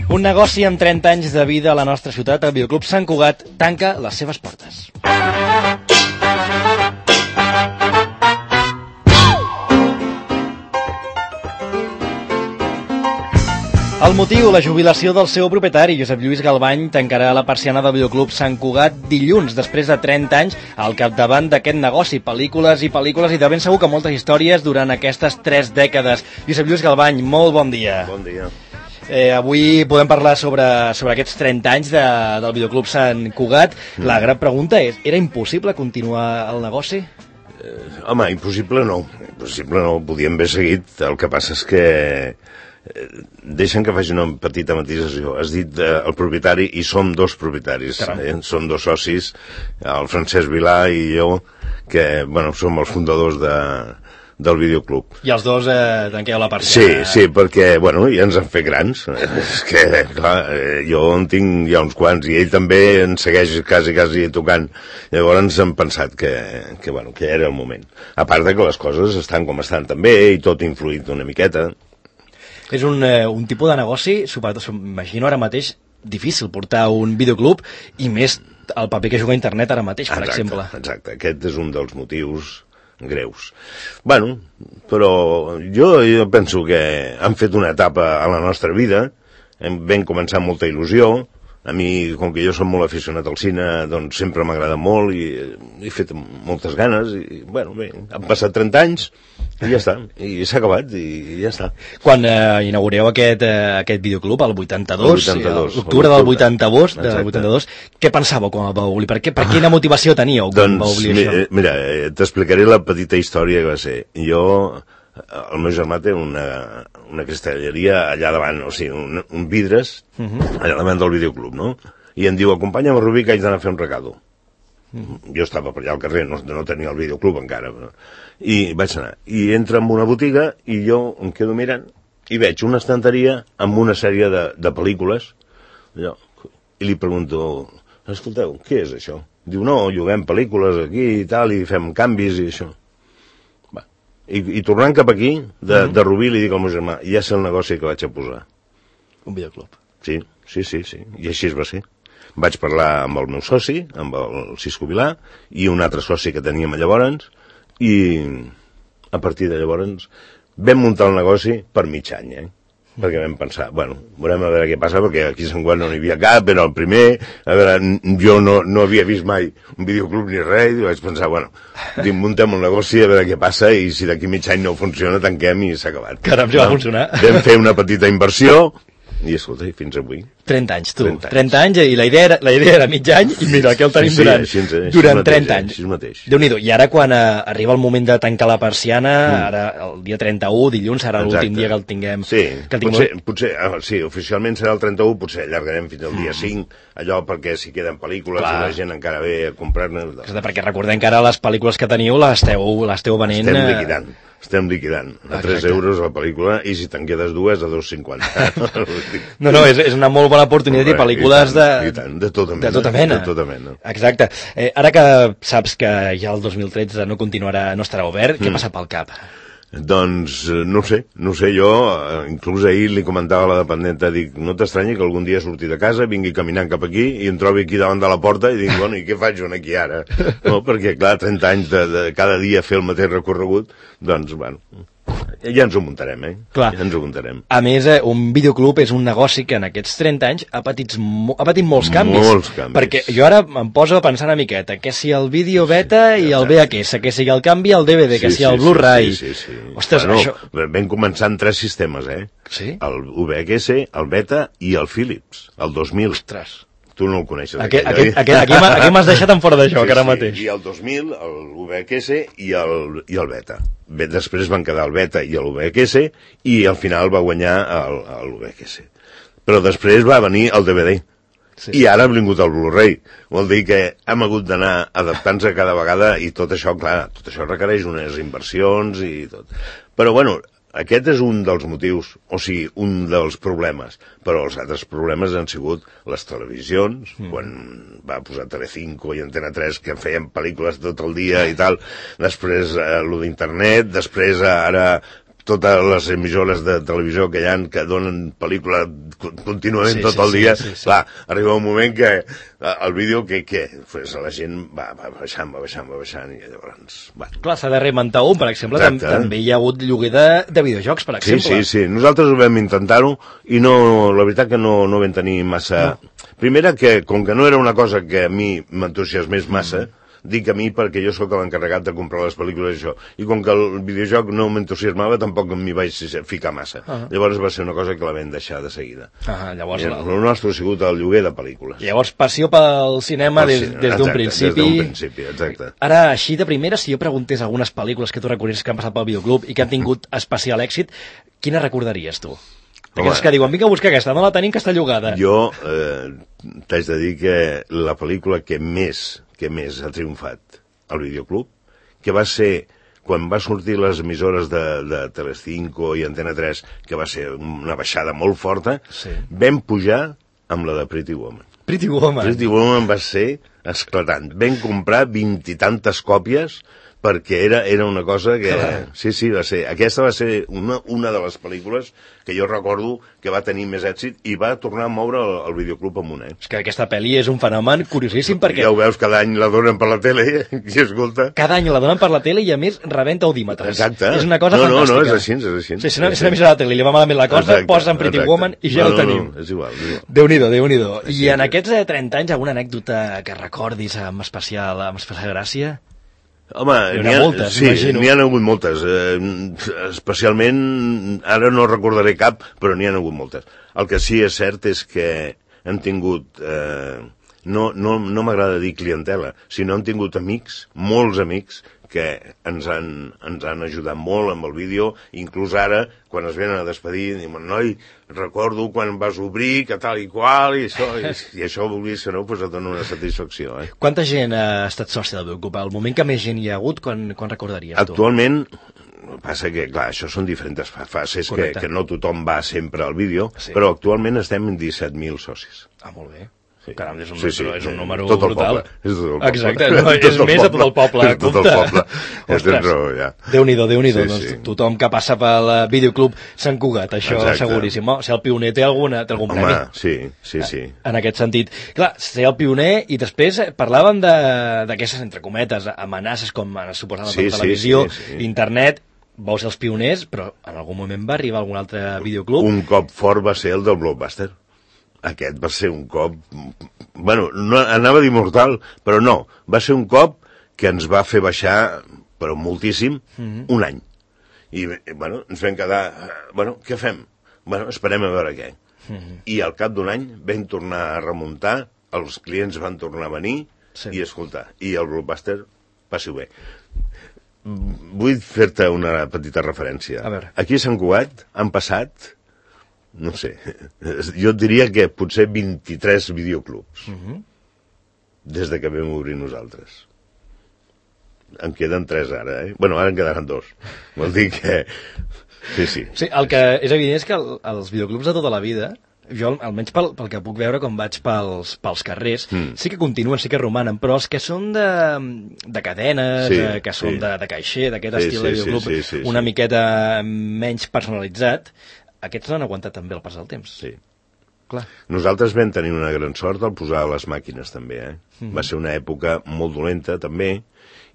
Un negoci amb 30 anys de vida a la nostra ciutat, el Videoclub Sant Cugat, tanca les seves portes. El motiu, la jubilació del seu propietari, Josep Lluís Galbany, tancarà la persiana del Videoclub Sant Cugat dilluns, després de 30 anys al capdavant d'aquest negoci, pel·lícules i pel·lícules, i de ben segur que moltes històries durant aquestes 3 dècades. Josep Lluís Galbany, molt bon dia. Bon dia. Avui podem parlar sobre aquests 30 anys del Videoclub Sant Cugat. La gran pregunta és, era impossible continuar el negoci? Home, impossible no, podíem haver seguit. El que passa és que deixen que faci una petita matisació. Has dit el propietari, i som 2 propietaris, som 2 socis, el Francesc Vilà i jo, que som els fundadors del Videoclub. I els 2 tanqueu la persiana. Sí, perquè, ja ens han fet grans. És que, clar, jo en tinc ja uns quants, i ell també ens segueix quasi tocant. Llavors hem pensat que era el moment. A part de que les coses estan com estan també, i tot ha influït una miqueta. És un tipus de negoci, m'imagino ara mateix, difícil portar un videoclub, i més el paper que juga a internet ara mateix, per exemple. Exacte, aquest és un dels motius greus. Però jo penso que han fet una etapa a la nostra vida, vam començar amb molta il·lusió. A mi, com que jo som molt aficionat al cine, doncs sempre m'agrada molt i he fet moltes ganes i, han passat 30 anys i ja està, i s'ha acabat i ja està. Quan inaugureu aquest videoclub, el 82, l'octubre del 82, què pensàveu quan el vau obrir? Per quina motivació teníeu quan vau obrir això? Mira, t'explicaré la petita història que va ser. El meu germà té una cristalleria allà davant, o sigui, un vidres, allà davant del videoclub, no? I em diu, acompanya'm a Rubí, que haig d'anar a fer un recado. Jo estava per allà al carrer, no tenia el videoclub encara, i vaig anar. I entra en una botiga i jo em quedo mirant i veig una estanteria amb una sèrie de pel·lícules, i li pregunto, escolteu, què és això? Diu, no, juguem pel·lícules aquí i tal, i fem canvis i això. I tornant cap aquí, de Rubí, li dic al meu germà, ja sé el negoci que vaig a posar. Un videoclub. Sí, i així es va ser. Vaig parlar amb el meu soci, amb el Cisco Vilà, i un altre soci que teníem llavors, i a partir de llavors vam muntar el negoci per mig any, perquè vam pensar, veurem a veure què passa, perquè aquí a Sant Cugat no n'hi havia cap, era el primer, jo no havia vist mai un videoclub ni res, i vaig pensar, muntem un negoci, a veure què passa, i si d'aquí mig any no funciona, tanquem i s'ha acabat. Caram, ja va funcionar. Vam fer una petita inversió, i escolta, fins avui. 30 anys, tu. 30 anys, i la idea era mig any, i mira, aquí el tenim durant 30 anys. Així mateix. Déu-n'hi-do. I ara, quan arriba el moment de tancar la persiana, ara, el dia 31, dilluns, serà l'últim dia que el tinguem. Sí, potser, sí, oficialment serà el 31, potser allargarem fins al dia 5, allò perquè si queden pel·lícules i la gent encara ve a comprar-ne. Perquè recordem que ara les pel·lícules que teniu les esteu venent... Estem liquidant a 3 euros la pel·lícula, i si te'n quedes 2 a 2,50. No, és una molt bona oportunitat, i pel·lícules de tota mena. Exacte. Ara que saps que ja el 2013 no estarà obert, què passa pel cap? Doncs no sé, jo inclús ahir li comentava a la dependenta, dic, no t'estranyi que algun dia surti de casa, vingui caminant cap aquí i em trobi aquí davant de la porta i dic, i què faig jo aquí ara? No, perquè clar, 30 anys de cada dia fer el mateix recorregut, doncs ja ens ho muntarem, Clar. Ja ens ho muntarem. A més, un videoclub és un negoci que en aquests 30 anys ha patit molts canvis. Molts canvis. Perquè jo ara em poso a pensar una miqueta, que si el vídeo beta i el VHS, que si el canvi el DVD, que si el Blu-ray... Sí. Ostres, això... Vam començar amb 3 sistemes, Sí? El VHS, el Beta i el Philips, el 2000. Ostres. Tu no el coneixes. Aquí m'has deixat en fora de joc, ara mateix. I el 2000, el VHS i el Beta. Després van quedar el Beta i el VHS, i al final va guanyar el VHS. Però després va venir el DVD. Sí. I ara ha vingut el Blu-ray. Vol dir que hem hagut d'anar adaptant-se cada vegada, i tot això, clar, tot això requereix unes inversions i tot. Però aquest és un dels motius, o sigui, un dels problemes, però els altres problemes han sigut les televisions, quan va posar Telecinco i Antena 3, que feien pel·lícules tot el dia i tal, després lo d'internet, després ara totes les emissores de televisió que hi ha, que donen pel·lícula contínuament tot el dia, clar, arriba un moment que el vídeo, pues la gent va baixant, i llavors... Bueno. Clar, s'ha de reinventar un, per exemple, també hi ha hagut lloguer de videojocs, per exemple. Sí, nosaltres vam intentar-ho i no, la veritat que no vam tenir massa... No. Primera, que com que no era una cosa que a mi m'entusiasmés massa, dic a mi perquè jo sóc l'encarregat de comprar les pel·lícules i això, i com que el videojoc no m'entusiasmava, tampoc m'hi vaig ficar massa. Llavors va ser una cosa que la vam deixar de seguida. Llavors el nostre ha sigut el lloguer de pel·lícules. Llavors passió pel cinema des d'un principi. Des d'un principi, exacte. Ara, així de primera, si jo preguntés algunes pel·lícules que tu recordaries que han passat pel videoclub i que han tingut especial èxit, quina recordaries tu? Aquestes que diuen, vinga a buscar aquesta, no la tenim, que està llogada. Jo t'haig de dir que la pel·lícula que més ha triomfat al videoclub, que va ser quan va sortir les emissores de Telecinco i Antena 3, que va ser una baixada molt forta, vam pujar amb la de Pretty Woman. Pretty Woman va ser esclatant. Vam comprar 20 i tantes còpies perquè era una cosa que... Sí, va ser. Aquesta va ser una de les pel·lícules que jo recordo que va tenir més èxit i va tornar a moure el videoclub amunt, És que aquesta pel·li és un fenomen curiosíssim perquè... Ja ho veus, cada any la donen per la tele i escolta... Cada any la donen per la tele i a més rebenta audímetres. Exacte. És una cosa fantàstica. No, és així. Sí, si una emissora de la tele li va malament la cosa, posen Pretty Woman i ja el tenim. No, és igual. Déu-n'hi-do. I en aquests 30 anys, alguna anècdota que recordis amb especial gràcia? Home, n'hi ha hagut moltes. Especialment, ara no recordaré cap, però n'hi ha hagut moltes. El que sí és cert és que han tingut... No m'agrada dir clientela, sinó han tingut amics, molts amics, que ens han ajudat molt amb el vídeo, inclús ara, quan es venen a despedir, diuen, noi, recordo quan vas obrir, que tal i qual, i això vulguis que no, doncs et dona una satisfacció. Quanta gent ha estat sòcia del videoclub? El moment que més gent hi ha hagut, quan recordaries tu? Actualment, passa que, clar, això són diferents fases, que no tothom va sempre al vídeo, però actualment estem en 17.000 socis. Molt bé. Caram, és un número brutal. Exacte, és més a tot el poble. Tot el poble. Tens raó, ja. Déu-n'hi-do. Tothom que passa pel videoclub Sant Cugat, això seguríssim. Si el pioner té algun premi. Home, sí. En aquest sentit. Clar, ser el pioner i després parlàvem d'aquestes, entre cometes, amenaces com suposaven per televisió, internet. Vau ser els pioners, però en algun moment va arribar algun altre videoclub. Un cop fort va ser el del Blockbuster. Aquest va ser un cop... Bueno, no, anava a dir mortal, però no. Va ser un cop que ens va fer baixar, però moltíssim, un any. I, bueno, ens vam quedar... Bueno, què fem? Bueno, esperem a veure què. I al cap d'un any vam tornar a remuntar, els clients van tornar a venir i escoltar. I el Blockbuster passi-ho bé. Vull fer-te una petita referència. Aquí a Sant Cugat han passat... no sé, jo et diria que potser 23 videoclubs des de que vam obrir nosaltres. En queden 3 ara, Bueno, ara en quedaran 2. Vol dir que... Sí, el que és evident és que els videoclubs de tota la vida, jo almenys pel que puc veure quan vaig pels carrers, sí que continuen, sí que romanen, però els que són de cadenes, que són de caixer, d'aquest estil de videoclub, una miqueta menys personalitzat, aquests n'han aguantat també el pas del temps. Sí. Clar. Nosaltres vam tenir una gran sort al posar les màquines també, Va ser una època molt dolenta també,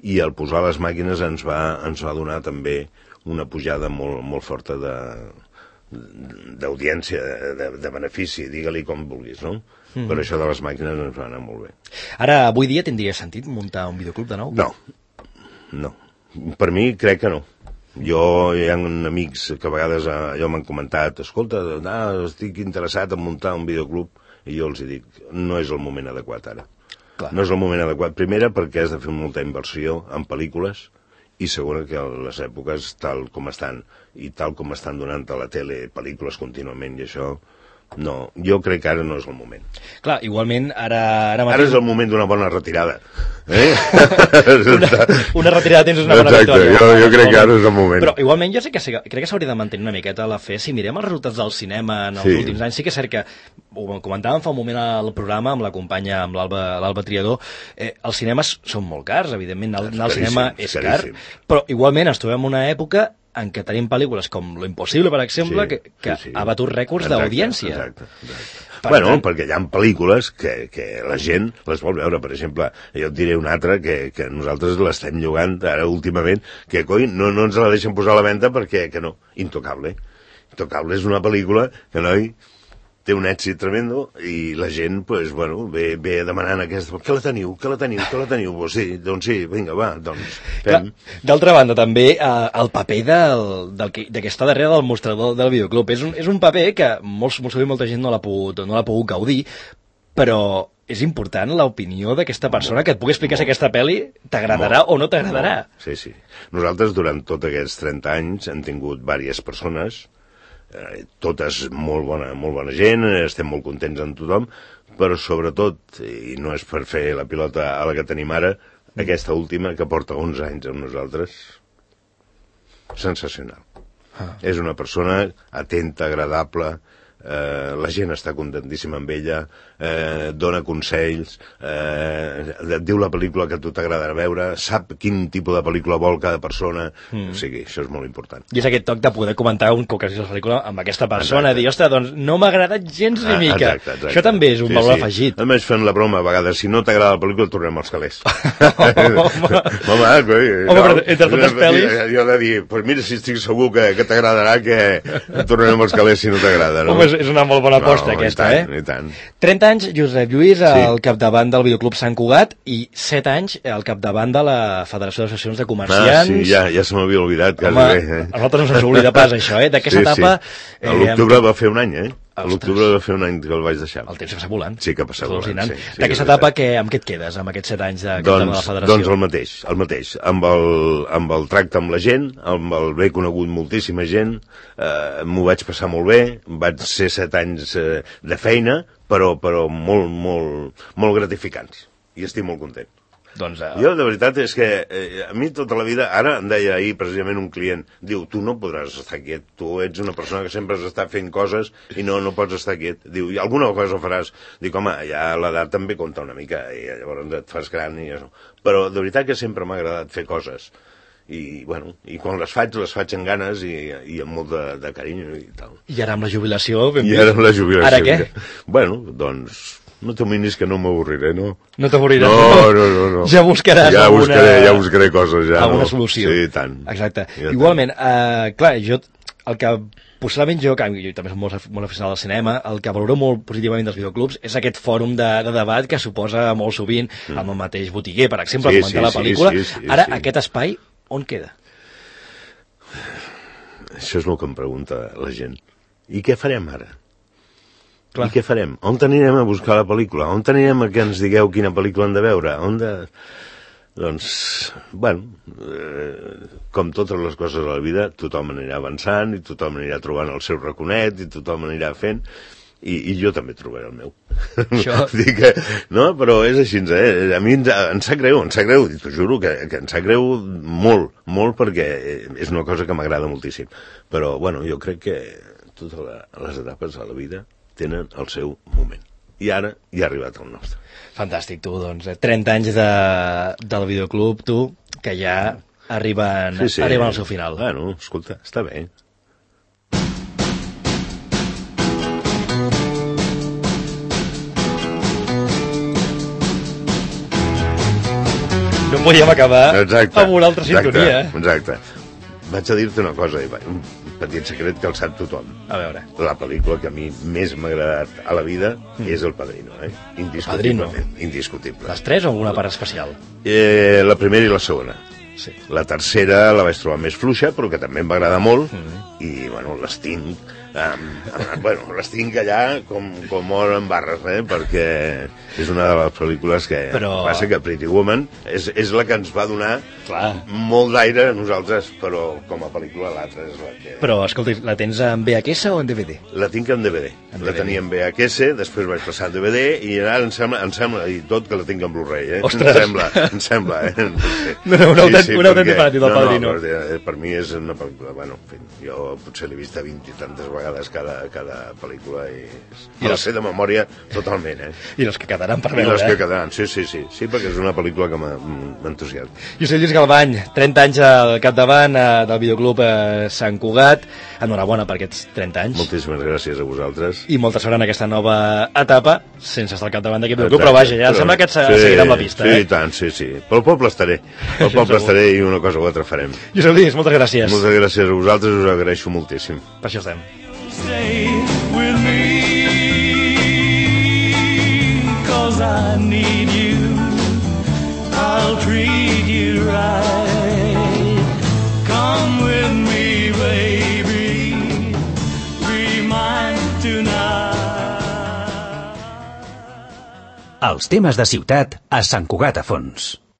i al posar les màquines ens va donar també una pujada molt forta d'audiència, de benefici, digue-li com vulguis, no? Per això de les màquines ens va anar molt bé. Ara, avui dia tindria sentit muntar un videoclub de nou? No. Per mi crec que no. Hi ha amics que a vegades allò m'han comentat, escolta, estic interessat en muntar un videoclub, i jo els dic, no és el moment adequat ara. No és el moment adequat, primera perquè has de fer molta inversió en pel·lícules, i segona que les èpoques tal com estan, i tal com estan donant a la tele pel·lícules contínuament, i això... No, jo crec que ara no és el moment. Clar, igualment, ara mateix... Ara és el moment d'una bona retirada. Una retirada tens una bona victòria. Exacte, jo crec que ara és el moment. Però igualment jo sé que crec que s'hauria de mantenir una miqueta la fe. Si mirem els resultats del cinema en els últims anys, sí que és cert que, ho comentàvem fa un moment al programa amb la companya, amb l'Alba Triador, els cinemes són molt cars, evidentment, anar al cinema és car, però igualment ens trobem una època en què tenim pel·lícules com Lo Impossible, per exemple, que ha batut rècords d'audiència. Exacte. Bueno, perquè hi ha pel·lícules que la gent les vol veure. Per exemple, jo et diré una altra que nosaltres l'estem llogant ara últimament, que coi, no ens la deixen posar a la venda perquè que no. Intocable. Intocable és una pel·lícula que, noi, té un èxit tremendo i la gent, pues, bueno, ve demanant aquesta... Que la teniu? Pues sí, doncs sí, vinga, va, doncs fem. D'altra banda, també, el paper que està darrere del mostrador del videoclub. És un paper que molt sovint molta gent no l'ha pogut gaudir, però és important l'opinió d'aquesta persona que et pugui explicar si aquesta pel·li t'agradarà o no t'agradarà. Sí. Nosaltres, durant tots aquests 30 anys, hem tingut diverses persones, totes molt bona gent, estem molt contents amb tothom, però sobretot, i no és per fer la pilota a la que tenim ara, aquesta última, que porta 11 anys amb nosaltres, sensacional. És una persona atenta, agradable, la gent està contentíssima amb ella, dona consells, et diu la pel·lícula que a tu t'agradarà veure, sap quin tipus de pel·lícula vol cada persona, o sigui, això és molt important. I és aquest toc de poder comentar un cop que hagis la pel·lícula amb aquesta persona, dir, ostres, doncs no m'ha agradat gens ni mica. Exacte. Això també és un valor afegit. A més, fent la broma, a vegades, si no t'agrada la pel·lícula, tornem als calés. Home, però entre totes pel·lis... Jo he de dir, pues mira, si estic segur que t'agradarà, que tornem als calés si no t'agrada, no? Home, és una molt bona aposta, aquesta, i tant. 30 anys, Josep Lluís, al capdavant del Videoclub Sant Cugat, i 7 anys al capdavant de la Federació d'Associacions de Comerciants. Sí, ja se m'havia oblidat. Home, a nosaltres no se'ns oblida pas, això, d'aquesta etapa... A l'octubre va fer un any, A l'octubre va fer un any que el vaig deixar. El temps passa volant. Sí, que passa volant, sí. D'aquesta etapa, amb què et quedes, amb aquests 7 anys de capdavant de la Federació? Doncs el mateix. Amb el tracte amb la gent, amb el bé conegut moltíssima gent, m'ho vaig passar molt bé, vaig ser 7 anys de feina, però molt gratificants. I estic molt content. Doncs, jo, de veritat, és que a mi tota la vida, ara em deia ahir precisament un client, diu, tu no podràs estar quiet, tu ets una persona que sempre has estat fent coses i no pots estar quiet. Diu, i alguna cosa faràs. Dic, home, ja l'edat també compta una mica, i llavors et fas gran i això. Però de veritat que sempre m'ha agradat fer coses. I, bueno, i quan les faig amb ganes i amb molt de carinyo i tal. I ara amb la jubilació... Ara què? Bueno, doncs... No t'amoïnis que no m'avorriré, no? No t'avorriràs? No. Ja buscaràs ja buscaré coses, ja. Alguna solució. Sí, tant. Exacte. Igualment, clar, el que possiblement jo també soc molt aficionat al cinema, el que valoro molt positivament dels videoclubs és aquest fòrum de debat que suposa molt sovint amb el mateix botiguer, per exemple, comentar la pel·lícula. Ara, aquest espai, on queda? Això és el que em pregunta la gent. I què farem ara? I què farem? On anirem a buscar la pel·lícula? On anirem a que ens digueu quina pel·lícula hem de veure? Doncs, bueno, com totes les coses de la vida, tothom anirà avançant i tothom anirà trobant el seu raconet i tothom anirà fent i jo també trobaré el meu. No, però és així, a mi em sap greu, t'ho juro que em sap greu molt perquè és una cosa que m'agrada moltíssim. Però, bueno, jo crec que totes les etapes de la vida tenen el seu moment. I ara ja ha arribat el nostre. Fantàstic, tu, doncs. 30 anys del videoclub, tu, que ja arriben al seu final. Bueno, escolta, està bé. No podíem acabar amb una altra sintonia. Exacte. Vaig a dir-te una cosa, un petit secret que el sap tothom. A veure. La pel·lícula que a mi més m'ha agradat a la vida és El Padrino, indiscutiblement. Indiscutible. Les 3 o alguna part especial? La primera i la segona. Sí. La tercera la vaig trobar més fluixa, però que també em va agradar molt, i, bueno, les tinc... les tinc allà com or en barres, perquè és una de les pel·lícules que passa que Pretty Woman és la que ens va donar molt d'aire a nosaltres, però com a pel·lícula l'altra és la que... Però, escolta, la tens en VHS o en DVD? La tinc en DVD. La tenia en VHS, després vaig passar a DVD i ara em sembla, i tot, que la tinc en Blu-ray, Ostres! Em sembla, Un autèntic fanàtic del Padrino. Per mi és una pel·lícula, bueno, en fi, jo potser l'he vist 20 i tantes vegades vegades cada pel·lícula i la sé de memòria totalment, I les que quedaran per I veure, les que quedaran, sí, perquè és una pel·lícula que m'entusiasma. Josep Lluís Galvany, 30 anys al capdavant del videoclub Sant Cugat. Enhorabona per aquests 30 anys. Moltíssimes gràcies a vosaltres. I molta sort en aquesta nova etapa, sense estar al capdavant d'aquest videoclub, però vaja, ja sembla que et seguirà amb la pista. Sí, tant, sí. Pel poble estaré. Pel poble estaré i una cosa o altra farem. Josep Lluís, moltes gràcies. Moltes gràcies a vosaltres, us agraeixo moltíssim. Per això estem. Stay with me, 'cause I need you, I'll treat you right, come with me baby, be mine tonight. Els temes de ciutat a Sant Cugat a Fons.